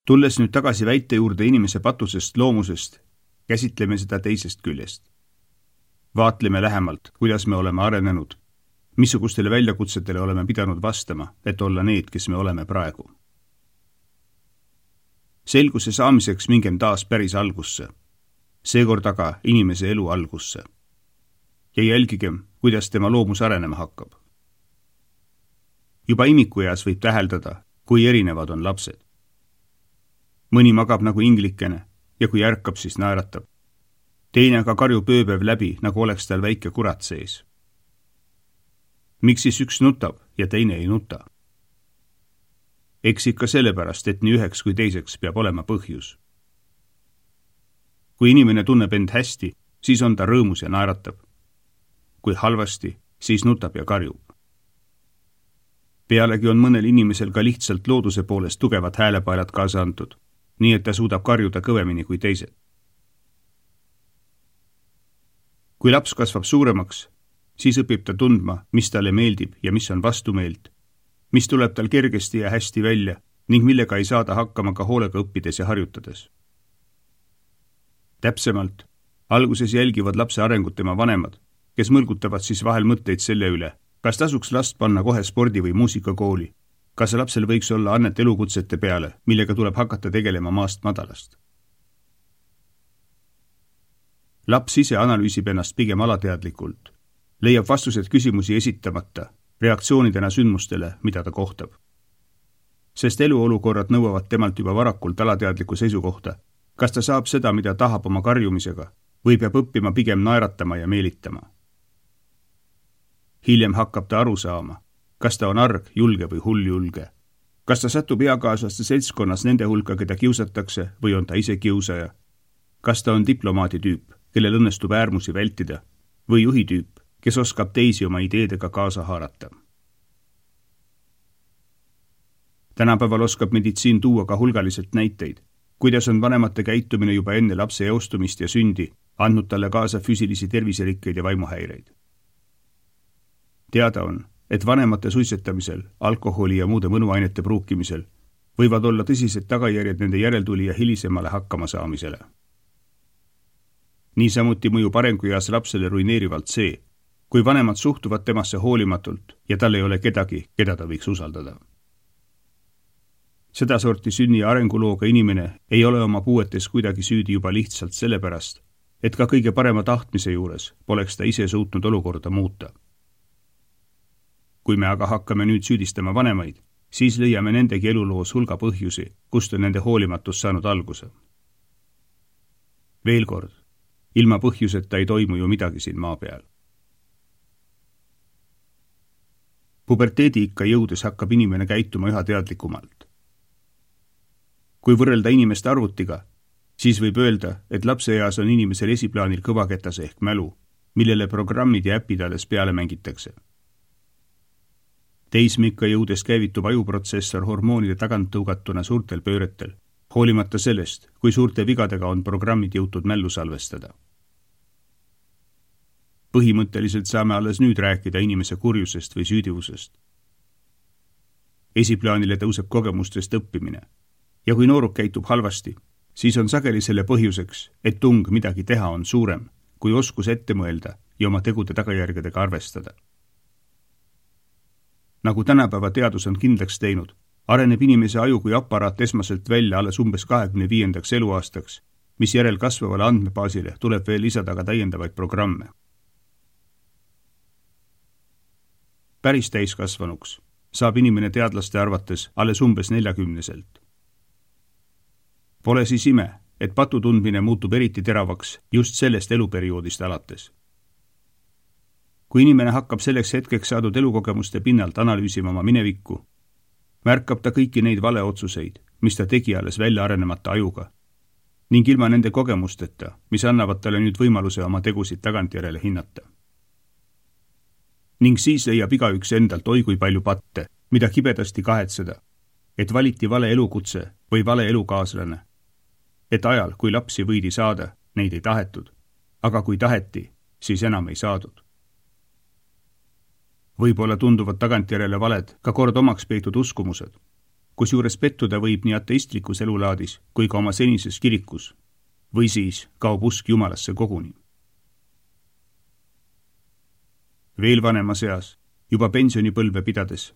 Tulles nüüd tagasi väite juurde inimese patusest loomusest, käsitleme seda teisest küljest. Vaatleme lähemalt, kuidas me oleme arenenud, missugustele väljakutsetele oleme pidanud vastama, et olla need, kes me oleme praegu. Selguse saamiseks mingem taas päris algusse, seekord aga inimese elu algusse. Ja jälgigem, kuidas tema loomus arenema hakkab. Juba imikueas võib täheldada, kui erinevad on lapsed. Mõni magab nagu inglikene ja kui ärkab, siis naeratab. Teine aga karjub ööpäev läbi, nagu oleks tal väike kurat sees. Miks siis üks nutab ja teine ei nuta? Eks ikka sellepärast, et nii üheks kui teiseks peab olema põhjus. Kui inimene tunneb end hästi, siis on ta rõõmus ja naeratab. Kui halvasti, siis nutab ja karjub. Pealegi on mõnel inimesel ka lihtsalt looduse poolest tugevad häälepaelad kaasa antud, nii et ta suudab karjuda kõvemini kui teised. Kui laps kasvab suuremaks, siis õpib ta tundma, mis talle meeldib ja mis on vastumeelt, mis tuleb tal kergesti ja hästi välja ning millega ei saada hakkama ka hoolega õppides ja harjutades. Täpsemalt, alguses jälgivad lapse arengut tema vanemad, kes mõlgutavad siis vahel mõtteid selle üle, kas tasuks last panna kohe spordi- või muusikakooli, kas lapsel võiks olla annet elukutsete peale, millega tuleb hakata tegelema maast madalast. Laps ise analüüsib ennast pigem alateadlikult, leiab vastused küsimusi esitamata, reaktsioonidena sündmustele, mida ta kohtab. Sest eluolukorrad nõuavad temalt juba varakult alateadlikku seisukohta, kas ta saab seda, mida tahab oma karjumisega, või peab õppima pigem naeratama ja meelitama. Hiljem hakkab ta aru saama, kas ta on arg, julge või hulljulge. Kas ta satub eakaaslaste seltskonnas nende hulka, keda kiusatakse, või on ta ise kiusaja? Kas ta on diplomaadi tüüp kellel õnnestub äärmusi vältida, või juhitüüp, kes oskab teisi oma ideedega kaasa haarata. Tänapäeval oskab meditsiin tuua ka hulgaliselt näiteid, kuidas on vanemate käitumine juba enne lapse eostumist ja sündi andnud talle kaasa füüsilisi terviserikkeid ja vaimuhäireid. Teada on, et vanemate suitsetamisel, alkoholi ja muude mõnuainete pruukimisel võivad olla tõsised tagajärjed nende järeltulija hilisemale hakkamasaamisele. Niisamuti mõjub arengueas lapsele ruineerivalt see, kui vanemad suhtuvad temasse hoolimatult ja tal ei ole kedagi, keda ta võiks usaldada. Sedasorti sünni ja arengulooga inimene ei ole oma puuetes kuidagi süüdi juba lihtsalt sellepärast, et ka kõige parema tahtmise juures poleks ta ise suutnud olukorda muuta. Kui me aga hakkame nüüd süüdistama vanemaid, siis leiame nendegi eluloos hulga põhjusi, kust on nende hoolimatus saanud alguse. Veel kord, ilma põhjuseta ei toimu ju midagi siin maa peal. Puberteediikka jõudes hakkab inimene käituma üha teadlikumalt. Kui võrrelda inimest arvutiga, siis võib öelda, et lapseeas on inimesel esiplaanil kõvaketas ehk mälu, millele programmid ja äpid alles peale mängitakse. Teismikka jõudes käivitub ajuprotsessor hormoonide tagant tõugatuna suurtel pööretel, hoolimata sellest, kui suurte vigadega on programmid jõutud mällu salvestada. Põhimõtteliselt saame alles nüüd rääkida inimese kurjusest või süüdivusest. Esiplaanile tõuseb kogemustest õppimine ja kui nooruk käitub halvasti, siis on sageli selle põhjuseks, et tung midagi teha on suurem, kui oskus ette mõelda ja oma tegude tagajärgedega arvestada. Nagu tänapäeva teadus on kindlaks teinud, areneb inimese aju kui aparaat esmaselt välja alles umbes 25. eluaastaks, mis järel kasvavale andmebaasile tuleb veel lisada ka täiendavaid programme. Päris täiskasvanuks saab inimene teadlaste arvates alles umbes 40-selt. Pole siis ime, et patutundmine muutub eriti teravaks just sellest eluperioodist alates. Kui inimene hakkab selleks hetkeks saadud elukogemuste pinnalt analüüsima oma minevikku, märkab ta kõiki neid valeotsuseid, mis ta tegi alles välja arenemata ajuga, ning ilma nende kogemusteta, mis annavad talle nüüd võimaluse oma tegusid tagantjärele hinnata. Ning siis leiab igaüks endalt oi kui palju patte, mida kibedasti kahetseda, et valiti vale elukutse või vale elukaaslane, et ajal, kui lapsi võidi saada, neid ei tahetud, aga kui taheti, siis enam ei saadud. Võib-olla tunduvad tagantjärele valed ka kord omaks peetud uskumused, kusjuures pettuda võib nii ateistlikus elulaadis kui ka oma senises kirikus, või siis kaob usk Jumalasse koguni. Veel vanemas eas, juba pensionipõlve pidades,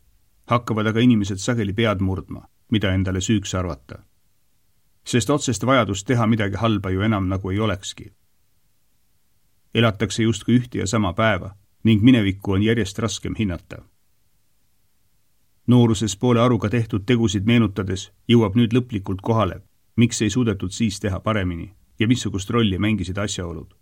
hakkavad aga inimesed sageli pead murdma, mida endale süüks arvata. Sest otsest vajadust teha midagi halba ju enam nagu ei olekski. Elatakse justkui ühte ja sama päeva ning minevikku on järjest raskem hinnata. Nooruses poole aruga tehtud tegusid meenutades jõuab nüüd lõplikult kohale, miks ei suudetud siis teha paremini ja missugust rolli mängisid asjaolud.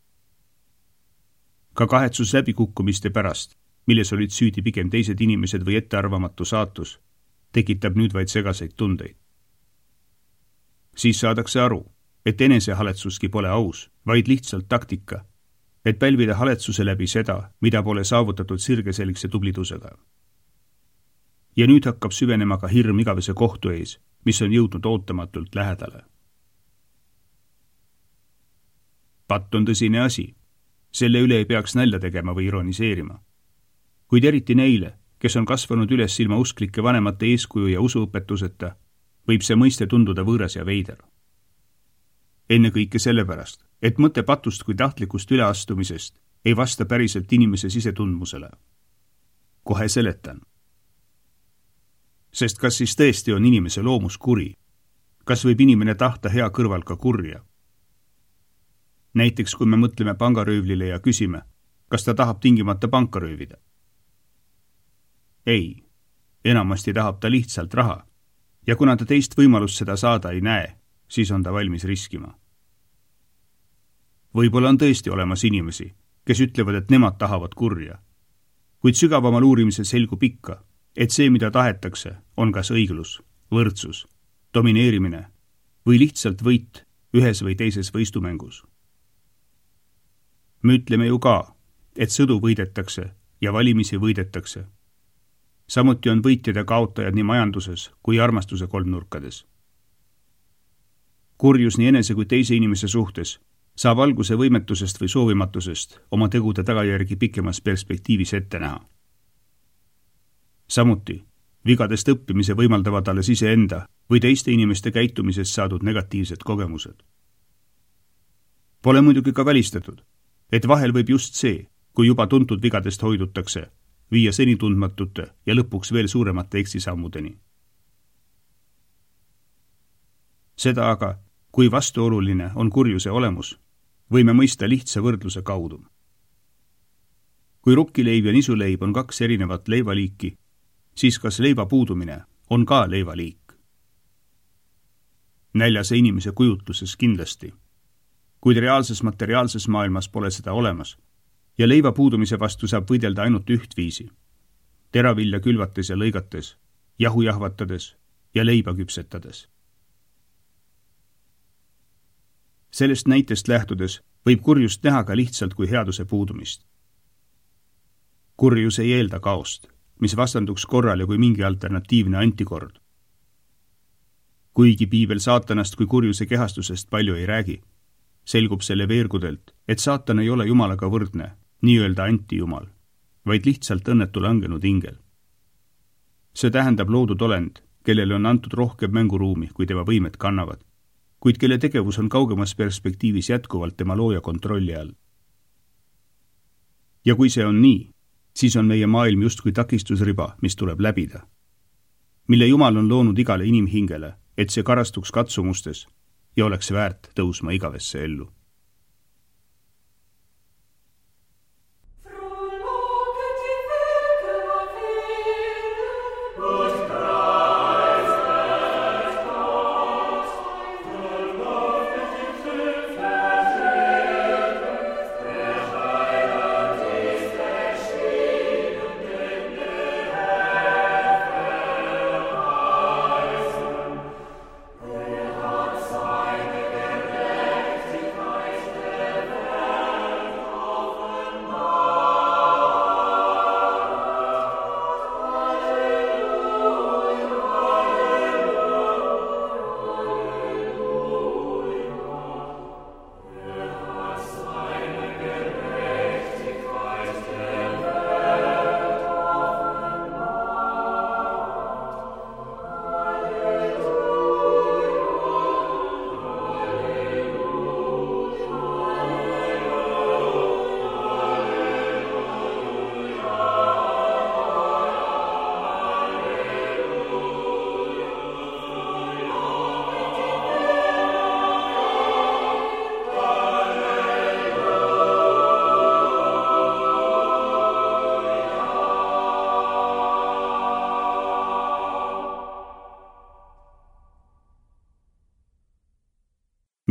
Ka kahetsus läbikukkumiste pärast, milles olid süüdi pigem teised inimesed või ettearvamatu saatus, tekitab nüüd vaid segaseid tundeid. Siis saadakse aru, et enesehaletsuski pole aus, vaid lihtsalt taktika, et pälvida haletsuse läbi seda, mida pole saavutatud sirgeselgse tublidusega. Ja nüüd hakkab süvenema ka hirm igavese kohtu ees, mis on jõudnud ootamatult lähedale. Patt on tõsine asi, selle üle ei peaks nalja tegema või ironiseerima. Kuid eriti neile, kes on kasvanud üles ilma usklike vanemate eeskuju ja usuõpetuseta, võib see mõiste tunduda võõras ja veider. Enne kõike sellepärast, et mõte patust kui tahtlikust üleastumisest ei vasta päriselt inimese sisetundmusele. Kohe seletan. Sest kas siis tõesti on inimese loomus kuri? Kas võib inimene tahta hea kõrval ka kurja? Näiteks kui me mõtleme pangaröövlile ja küsime, kas ta tahab tingimata panka röövida? Ei, enamasti tahab ta lihtsalt raha ja kuna ta teist võimalust seda saada ei näe, siis on ta valmis riskima. Võib-olla on tõesti olemas inimesi, kes ütlevad, et nemad tahavad kurja, kuid sügavamal uurimisel selgub ikka, et see, mida tahetakse, on kas õiglus, võrdsus, domineerimine või lihtsalt võit ühes või teises võistumängus. Me ütleme ju ka, et sõdu võidetakse ja valimisi võidetakse. Samuti on võitjad ja kaotajad nii majanduses kui armastuse kolmnurkades. Kurjus nii enese kui teise inimese suhtes saab alguse võimetusest või soovimatusest oma tegude tagajärgi pikemas perspektiivis ette näha. Samuti vigadest õppimise võimaldavad alles iseenda või teiste inimeste käitumisest saadud negatiivsed kogemused. Pole muidugi ka välistatud, et vahel võib just see, kui juba tuntud vigadest hoidutakse, viia seni tundmatute ja lõpuks veel suuremate eksisammudeni. Seda aga, kui vastuoluline on kurjuse olemus, võime mõista lihtsa võrdluse kaudu. Kui rukkileib ja nisuleib on kaks erinevat leivaliiki, siis kas leiva puudumine on ka leivaliik? Näljase inimese kujutluses kindlasti, kuid reaalses materiaalses maailmas pole seda olemas ja leiva puudumise vastu saab võidelda ainult ühtviisi, teravilja külvates ja lõigates, jahu jahvatades ja leiba küpsetades. Sellest näitest lähtudes võib kurjust näha ka lihtsalt kui headuse puudumist. Kurjus ei eelda kaost, mis vastanduks korrale kui mingi alternatiivne antikord. Kuigi piibel saatanast kui kurjuse kehastusest palju ei räägi, selgub selle veergudelt, et saatan ei ole Jumalaga võrdne, nii-öelda antijumal, vaid lihtsalt õnnetu langenud ingel. See tähendab loodud olend, kellele on antud rohkem mänguruumi, kui tema võimed kannavad, kuid kelle tegevus on kaugemas perspektiivis jätkuvalt tema looja kontrolli all. Ja kui see on nii, siis on meie maailm justkui takistusriba, mis tuleb läbida, mille Jumal on loonud igale inimhingele, et see karastuks katsumustes ja oleks väärt tõusma igavesse ellu.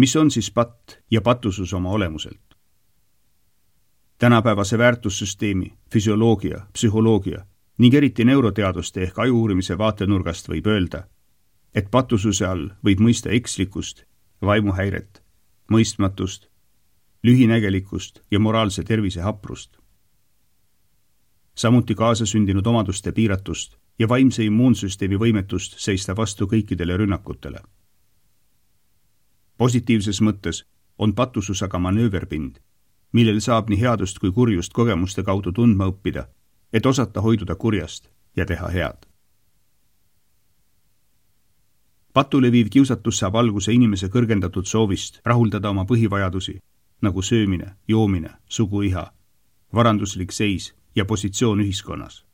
Mis on siis patt ja patusus oma olemuselt? Tänapäevase väärtussüsteemi, füsioloogia, psühholoogia ning eriti neuroteaduste ehk ajuuurimise vaatenurgast võib öelda, et patususe all võib mõista ekslikkust, vaimuhäiret, mõistmatust, lühinägelikkust ja moraalse tervise haprust. Samuti kaasasündinud omaduste piiratust ja vaimse immuunsüsteemi võimetust seista vastu kõikidele rünnakutele. Positiivses mõttes on patusus aga manööverpind, millel saab nii headust kui kurjust kogemuste kaudu tundma õppida, et osata hoiduda kurjast ja teha head. Patule viiv kiusatus saab alguse inimese kõrgendatud soovist rahuldada oma põhivajadusi, nagu söömine, joomine, suguiha, varanduslik seis ja positsioon ühiskonnas.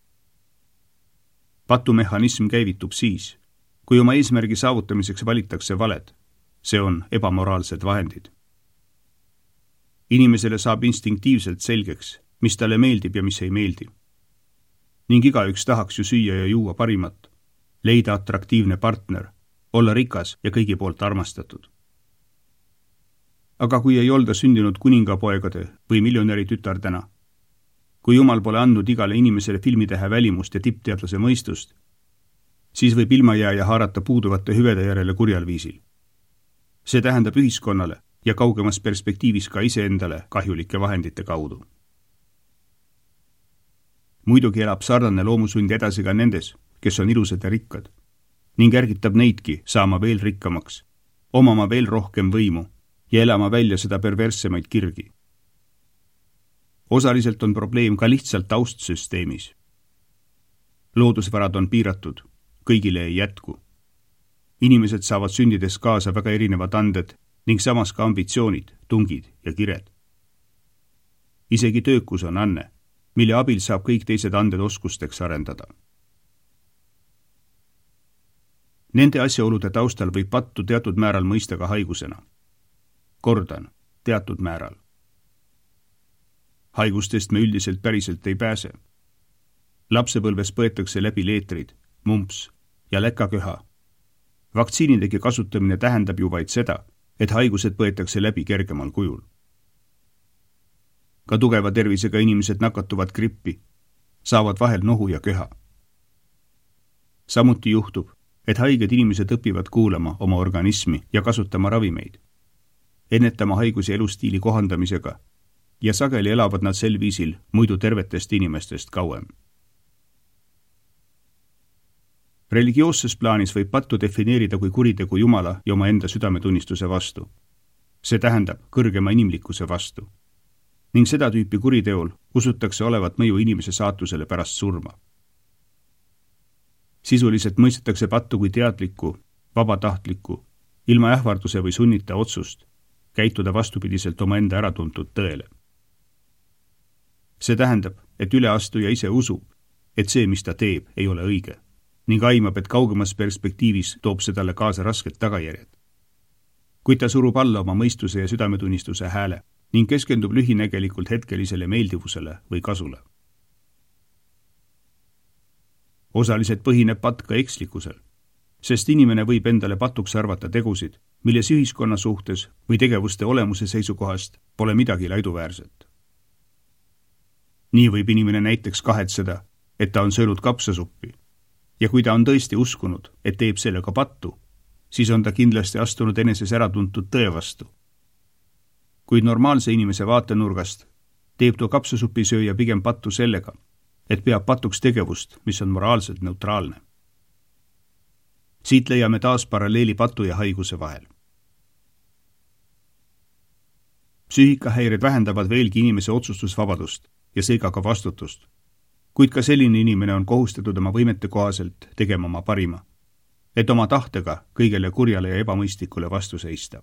Patumehhanism käivitub siis, kui oma eesmärgi saavutamiseks valitakse valed, see on ebamoraalsed vahendid. Inimesele saab instinktiivselt selgeks, mis talle meeldib ja mis ei meeldi. Ning igaüks tahaks ju süüa ja juua parimat, leida atraktiivne partner, olla rikas ja kõigi poolt armastatud. Aga kui ei olda sündinud kuningapoegade või miljonäri tütardena, kui Jumal pole andnud igale inimesele filmitähe välimust ja tippteadlase mõistust, siis võib ilmajääja haarata puuduvate hüvede järele kurjal viisil. See tähendab ühiskonnale ja kaugemas perspektiivis ka iseendale kahjulike vahendite kaudu. Muidugi elab sarnane loomusund edasi ka nendes, kes on ilusad ja rikkad, ning ärgitab neidki saama veel rikkamaks, omama veel rohkem võimu ja elama välja seda perverssemaid kirgi. Osaliselt on probleem ka lihtsalt taustsüsteemis. Loodusvarad on piiratud, kõigile ei jätku. Inimesed saavad sündides kaasa väga erinevad anded ning samas ka ambitsioonid, tungid ja kired. Isegi töökus on anne, mille abil saab kõik teised anded oskusteks arendada. Nende asjaolude taustal võib pattu teatud määral mõista ka haigusena. Kordan, teatud määral. Haigustest me üldiselt päriselt ei pääse. Lapsepõlves põetakse läbi leetrid, mumps ja läkaköha. Vaktsiinidegi kasutamine tähendab ju vaid seda, et haigused põetakse läbi kergemal kujul. Ka tugeva tervisega inimesed nakatuvad grippi, saavad vahel nohu ja köha. Samuti juhtub, et haiged inimesed õpivad kuulama oma organismi ja kasutama ravimeid, ennetama haigusi elustiili kohandamisega ja sageli elavad nad sel viisil muidu tervetest inimestest kauem. Religioosses plaanis võib pattu defineerida kui kuritegu Jumala ja oma enda südametunnistuse vastu. See tähendab kõrgema inimlikkuse vastu. Ning seda tüüpi kuriteol usutakse olevat mõju inimese saatusele pärast surma. Sisuliselt mõistetakse pattu kui teadlikku, vabatahtlikku, ilma ähvarduse või sunnita otsust, käituda vastupidiselt oma enda äratuntud tõele. See tähendab, et üleastuja ise usub, et see, mis ta teeb, ei ole õige, ning aimab, et kaugemas perspektiivis toob see talle kaasa rasked tagajärjed. Kuid ta surub alla oma mõistuse ja südametunnistuse hääle ning keskendub lühinägelikult hetkelisele meeldivusele või kasule. Osaliselt põhineb patt ka ekslikkusel, sest inimene võib endale patuks arvata tegusid, milles ühiskonna suhtes või tegevuste olemuse seisukohast pole midagi laiduväärset. Nii võib inimene näiteks kahetseda, et ta on söönud kapsasuppi, ja kui ta on tõesti uskunud, et teeb sellega pattu, siis on ta kindlasti astunud eneses äratuntud tõe vastu. Kuid normaalse inimese vaatenurgast teeb too kapsasupisööja pigem pattu sellega, et peab patuks tegevust, mis on moraalselt neutraalne. Siit leiame taas paralleeli patu ja haiguse vahel. Psüühikahäired vähendavad veelgi inimese otsustusvabadust ja seega ka vastutust, kuid ka selline inimene on kohustatud oma võimete kohaselt tegema oma parima, et oma tahtega kõigele kurjale ja ebamõistlikule vastu seista.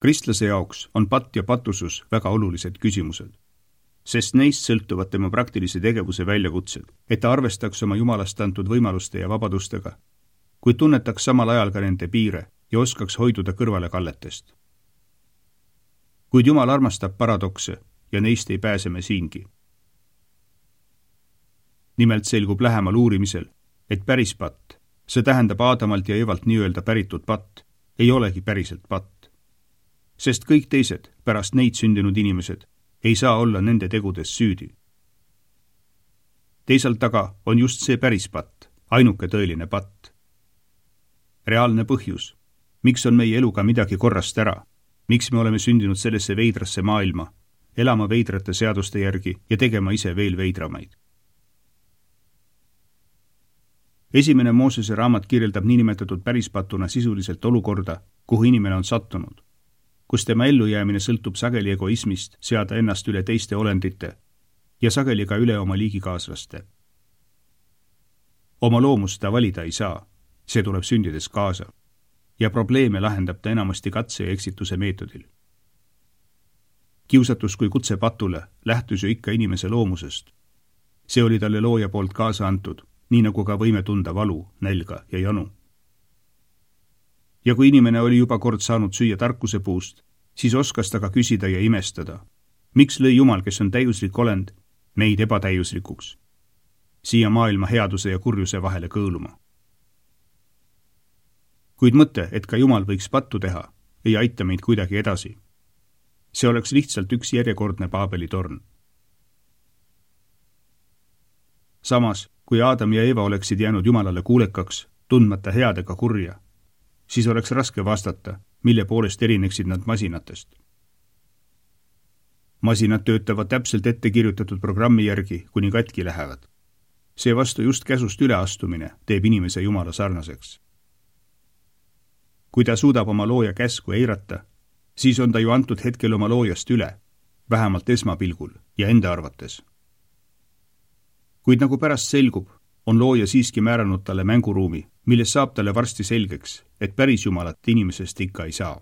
Kristlase jaoks on patt ja patusus väga olulised küsimused, sest neist sõltuvad tema praktilise tegevuse väljakutsed, et ta arvestaks oma Jumalast antud võimaluste ja vabadustega, kuid tunnetaks samal ajal ka nende piire ja oskaks hoiduda kõrvale kalletest. Kuid Jumal armastab paradokse ja neist ei pääse me siingi. Nimelt selgub lähemal uurimisel, et päris patt, see tähendab Aadamalt ja Evalt nii-öelda päritud patt, ei olegi päriselt patt. Sest kõik teised, pärast neid sündinud inimesed, ei saa olla nende tegudes süüdi. Teisalt aga on just see päris patt, ainuke tõeline patt. Reaalne põhjus, miks on meie eluga midagi korrast ära, miks me oleme sündinud sellesse veidrasse maailma, elama veidrate seaduste järgi ja tegema ise veel veidramaid. Esimene Moosese raamat kirjeldab niinimetatud pärispatuna sisuliselt olukorda, kuhu inimene on sattunud, kus tema ellujäämine sõltub sageli egoismist seada ennast üle teiste olendite ja sageli ka üle oma liigikaaslaste. Oma loomust ta valida ei saa, see tuleb sündides kaasa ja probleeme lahendab ta enamasti katse ja eksituse meetodil. Kiusatus kui kutse patule lähtus ju ikka inimese loomusest. See oli talle looja poolt kaasa antud, nii nagu ka võime tunda valu, nälga ja janu. Ja kui inimene oli juba kord saanud süüa tarkuse puust, siis oskas ta ka küsida ja imestada. Miks lõi Jumal, kes on täiuslik olend, meid ebatäiuslikuks? Siia maailma headuse ja kurjuse vahele kõõluma. Kuid mõte, et ka Jumal võiks pattu teha, ei aita meid kuidagi edasi. See oleks lihtsalt üks järjekordne Paabeli torn. Samas, kui Aadam ja Eva oleksid jäänud Jumalale kuulekaks, tundmata head ega kurja, siis oleks raske vastata, mille poolest erineksid nad masinatest. Masinad töötavad täpselt ette kirjutatud programmi järgi, kuni katki lähevad. Seevastu just käsust üleastumine teeb inimese Jumala sarnaseks. Kui ta suudab oma looja käsku eirata, siis on ta ju antud hetkel oma loojast üle, vähemalt esmapilgul ja enda arvates. Kuid nagu pärast selgub, on looja siiski määranud talle mänguruumi, milles saab talle varsti selgeks, et päris Jumalat inimesest ikka ei saa.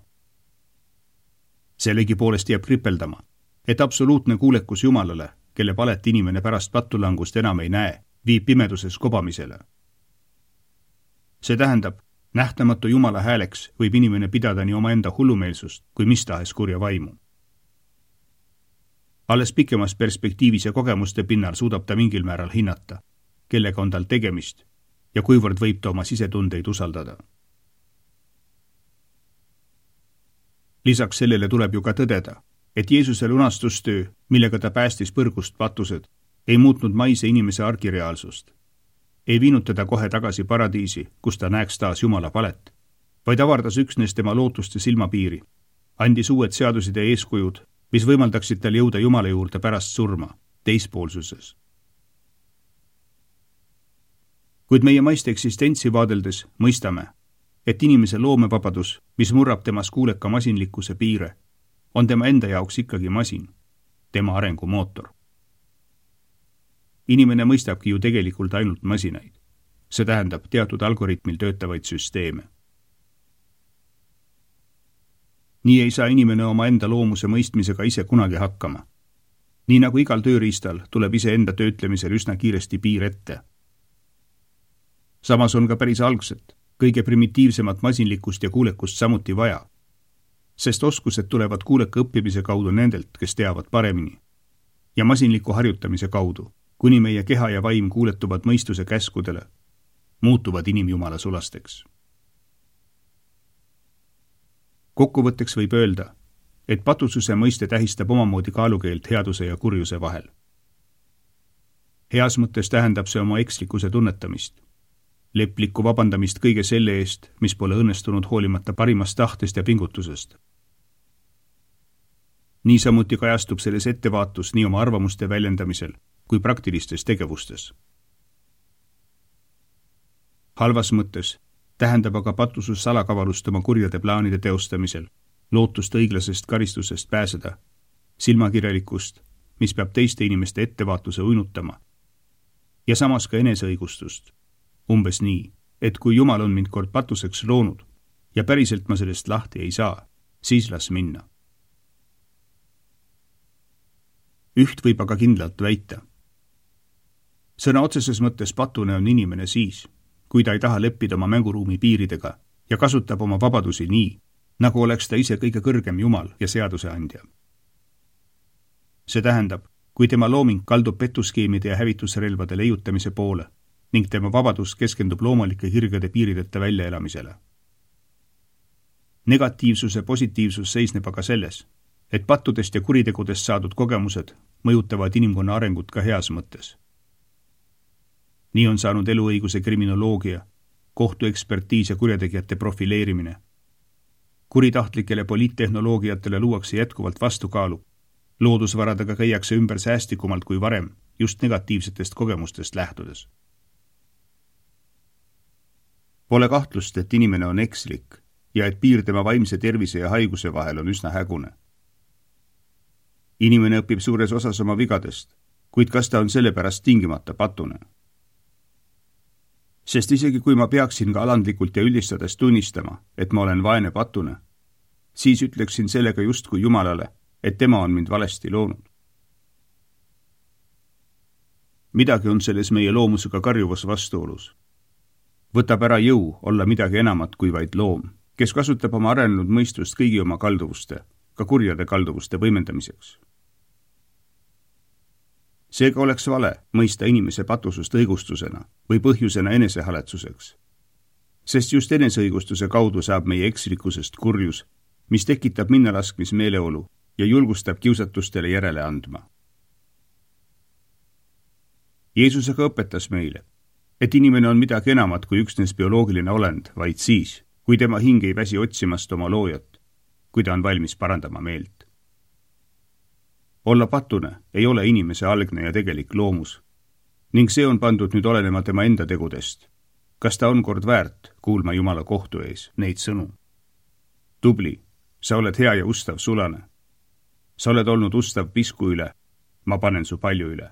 Sellegi poolest jääb kripeldama, et absoluutne kuulekus Jumalale, kelle palet inimene pärast pattulangust enam ei näe, viib pimeduses kobamisele. See tähendab, nähtamatu Jumala hääleks võib inimene pidada nii omaenda hullumeelsust kui mis tahes kurja vaimu. Alles pikemas perspektiivis ja kogemuste pinnal suudab ta mingil määral hinnata, kellega on tal tegemist ja kuivõrd võib ta oma sisetundeid usaldada. Lisaks sellele tuleb ju ka tõdeda, et Jeesuse lunastustöö, millega ta päästis põrgust patused, ei muutnud maise inimese argireaalsust. Ei viinud teda kohe tagasi paradiisi, kus ta näeks taas Jumala palet, vaid avardas üksnes tema lootuste silmapiiri, andis uued seadused ja eeskujud, mis võimaldaksid tal jõuda Jumala juurde pärast surma, teispoolsuses. Kuid meie maiste eksistentsi vaadeldes mõistame, et inimese loomevabadus, mis murrab temas kuuleka masinlikkuse piire, on tema enda jaoks ikkagi masin, tema arengumootor. Inimene mõistabki ju tegelikult ainult masinaid. See tähendab teatud algoritmil töötavaid süsteeme. Nii ei saa inimene oma enda loomuse mõistmisega ise kunagi hakkama. Nii nagu igal tööriistal tuleb ise enda töötlemisel üsna kiiresti piir ette. Samas on ka päris algset, kõige primitiivsemat masinlikkust ja kuulekust samuti vaja, sest oskused tulevad kuuleka õppimise kaudu nendelt, kes teavad paremini, ja masinliku harjutamise kaudu, kuni meie keha ja vaim kuuletuvad mõistuse käskudele, muutuvad inimjumala sulasteks. Kokkuvõtteks võib öelda, et patususe mõiste tähistab omamoodi kaalukeelt headuse ja kurjuse vahel. Heas mõttes tähendab see oma ekslikkuse tunnetamist, leplikku vabandamist kõige selle eest, mis pole õnnestunud hoolimata parimast tahtest ja pingutusest. Niisamuti kajastub selles ettevaatus nii oma arvamuste väljendamisel kui praktilistes tegevustes. Halvas mõttes tähendab aga patusus salakavalust oma kurjade plaanide teostamisel, lootust õiglasest karistusest pääseda, silmakirjalikkust, mis peab teiste inimeste ettevaatuse uinutama, ja samas ka eneseõigustust, umbes nii, et kui Jumal on mind kord patuseks loonud ja päriselt ma sellest lahti ei saa, siis las minna. Üht võib aga kindlalt väita. Sõna otseses mõttes patune on inimene siis, kui ta ei taha leppida oma mänguruumi piiridega ja kasutab oma vabadusi nii, nagu oleks ta ise kõige kõrgem Jumal ja seaduseandja. See tähendab, kui tema looming kaldub petuskeemide ja hävitusrelvade leiutamise poole, ning tema vabadus keskendub loomulike kirgede piirideta väljaelamisele. Negatiivsuse positiivsus seisneb aga selles, et pattudest ja kuritegudest saadud kogemused mõjutavad inimkonna arengut ka heas mõttes. Nii on saanud eluõiguse kriminoloogia, kohtuekspertiis ja kurjategijate profileerimine. Kuritahtlikele poliittehnoloogiatele luuakse jätkuvalt vastukaalu. Loodusvaradega käiakse ümber säästikumalt kui varem, just negatiivsetest kogemustest lähtudes. Pole kahtlust, et inimene on ekslik ja et piir tema vaimse tervise ja haiguse vahel on üsna hägune. Inimene õpib suures osas oma vigadest, kuid kas ta on sellepärast tingimata patune? Sest isegi kui ma peaksin ka alandlikult ja üldistades tunnistama, et ma olen vaene patune, siis ütleksin sellega justkui Jumalale, et tema on mind valesti loonud. Midagi on selles meie loomusega karjuvas vastuolus. Võtab ära jõu olla midagi enamat kui vaid loom, kes kasutab oma arenenud mõistust kõigi oma kalduvuste, ka kurjade kalduvuste võimendamiseks. Seega oleks vale mõista inimese patusust õigustusena või põhjusena enesehaletsuseks. Sest just eneseõigustuse kaudu saab meie ekslikkusest kurjus, mis tekitab minnalaskmismeeleolu ja julgustab kiusatustele järele andma. Jeesus aga õpetas meile, et inimene on midagi enamat kui üksnes bioloogiline olend, vaid siis, kui tema hing ei väsi otsimast oma loojat, kui ta on valmis parandama meelt. Olla patune ei ole inimese algne ja tegelik loomus, ning see on pandud nüüd olenema tema enda tegudest. Kas ta on kord väärt kuulma Jumala kohtu ees neid sõnu? Tubli, sa oled hea ja ustav sulane. Sa oled olnud ustav pisku üle, ma panen su palju üle.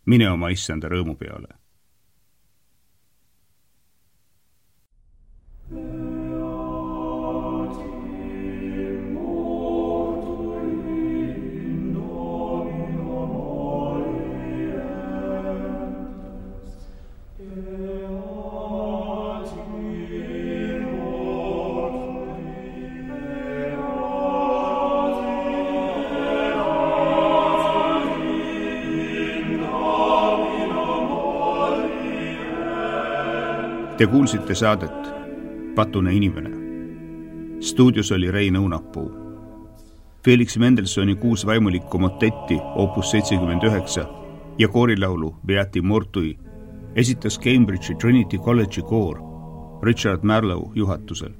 Mine oma issanda rõõmu peale. Te kuulsite saadet Patune inimene. Stuudios oli Rein Õunapuu. Felix Mendelssohni 6 vaimulikku motetti opus 79 ja koorilaulu Beati Mortui esitas Cambridge'i Trinity College'i koor Richard Marlowe juhatusel.